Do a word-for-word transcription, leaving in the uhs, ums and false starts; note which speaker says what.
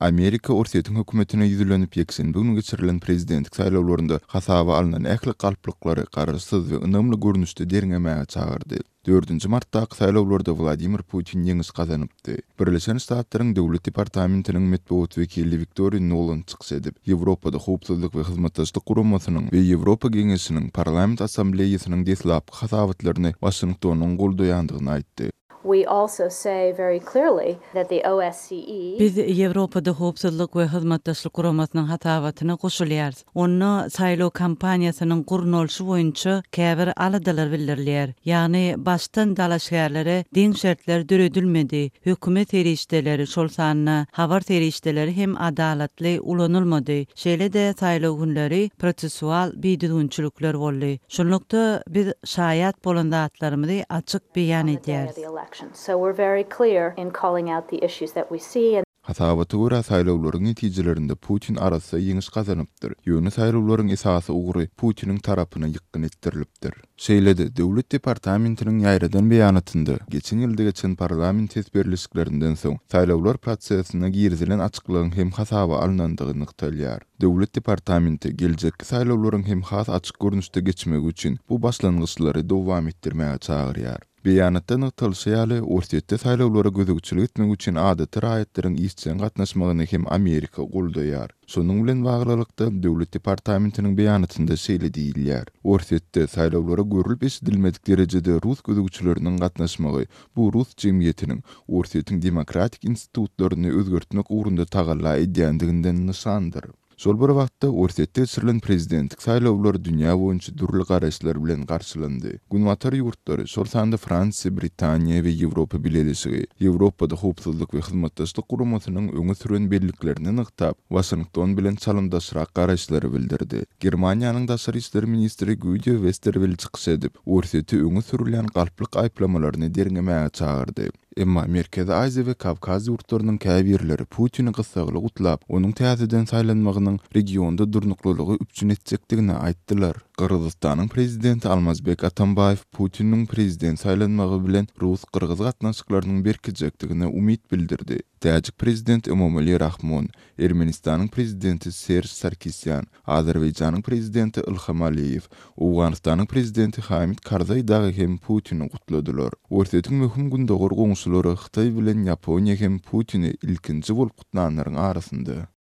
Speaker 1: Amerika Orsýetiň hökümetine ýüzlenip, ýekşenbe güni geçirilen prezidentlik saýlawlarynda hasaba alnan ähli galplyklary garaşsyz we ynamly görnüşde derňemäge çagyrdy. Dördünji martdaky saýlawlarda Wladimir Putin ýeňiş gazanypdy. Birleşen Ştatlaryň Döwlet departamentiniň metbugat wekili Wiktoriýa Nuland çykyş edip, Ýewropada Howpsuzlyk we Hyzmatdaşlyk Guramasynyň we Ýewropa Geňeşiniň Parlament Assambleýasynyň deslapky hasabatlaryny Waşingtonyň goldaýandygyny aýtdy.
Speaker 2: We also say very clearly that the O S C E
Speaker 3: Biz Ýewropada Howpsuzlyk we Hyzmatdaşlyk Guramasynyň hasabatyna goşulýarys. Onda saýlaw kampaniýasynyň gurnalyşy boýunça käbir aladalar bildirilýär. Ýagny başdan dalaşgärlere deň şertler döredilmedi, hökümet serişdeleri, şol sanda habar serişdeleri hem adalatly ulanylmady. Şeýle-de saýlaw günleri prosesual bidüzgünçilikler boldy. Şunlukda biz şaýat bolan zatlarymyzy açyk beýan
Speaker 2: on the day of
Speaker 3: edýäris.
Speaker 2: the election. So we're very clear in calling out the issues that we see and
Speaker 1: Hasabata görä, saýlawlaryň netijelerinde Putin arassa ýeňiş gazanypdyr. Ýöne saýlawlaryň esasy ugry Putiniň tarapyna ýykgyn etdirilipdir. Şeýle-de Döwlet departamentiniň ýaýradan beýanatynda geçen ýylda geçen parlament ses berlişiklerinden soň saýlawlar prosesine girizilen açyklygyň hem hasaba alnandygy nygtalýar. Döwlet departamenti geljekki saýlawlaryň hem has açyk görnüşde geçmegi üçin bu başlangyçlary dowam etdirmäge çagyrýar. Beýanatda nygtalyşy ýaly, Orsýetde saýlawlara gözegçilik etmek üçin adaty raýatlaryň işjeň gatnaşmagyny hem Amerika goldaýar. Şonuň bilen baglylykda Döwlet departamentiniň beýanatynda şeýle diýilýär: Orsýetde saýlawlara görülip eşidilmedik derejede rus gözegçileriniň gatnaşmagy bu rus jemgyýetiniň Orsýetiň demokratik institutlaryny özgertmek ugrunda tagalla edýändiginden nyşandyr. Şol bir wagtda Orsýetde geçirilen prezidentlik saýlawlary dünýä boýunça dürli garaýyşlar bilen garşylandy. Günbatar ýurtlary, şol sanda Fransiýa, Britaniýa we Ýewropa Bileleşigi, Ýewropada Howpsuzlyk we Hyzmatdaşlyk Guramasynyň öňe süren belliklerini nygtap, Waşington bilen çalymdaşrak garaýyşlary bildirdi. Germaniýanyň daşary işler ministri Guido Westerwelle çykyş edip, Orsýeti öňe sürülýän galplyk aýyplamalaryny derňemäge çagyrdy. Emma Merkezi Aziýa we Kawkaz ýurtlarynyň käbirleri Putini gyssagly gutlap, onuň täzeden saýlanmagynyň regionda durnuklylygy üpjün etjekdigini aýtdylar. Gyrgyzystanyň prezidenti Almazbek Atambaýew Putiniň prezident saýlanmagy bilen rus-gyrgyz gatnaşyklarynyň berkejekdigine umyt bildirdi. Täjik prezidenti Emomali Rahmon, Ermenistanyň prezidenti Serj Sarkisýan, Azerbaýjanyň prezidenti Ilham Aliýew, Owganystanyň prezidenti Hamid Karzaý dagy hem Putini gutladylar. Orsýetiň möhüm gündogar goňşulary Hytaý bilen Ýaponiýa hem Putini ilkinji bolup gutlanlaryň arasynda.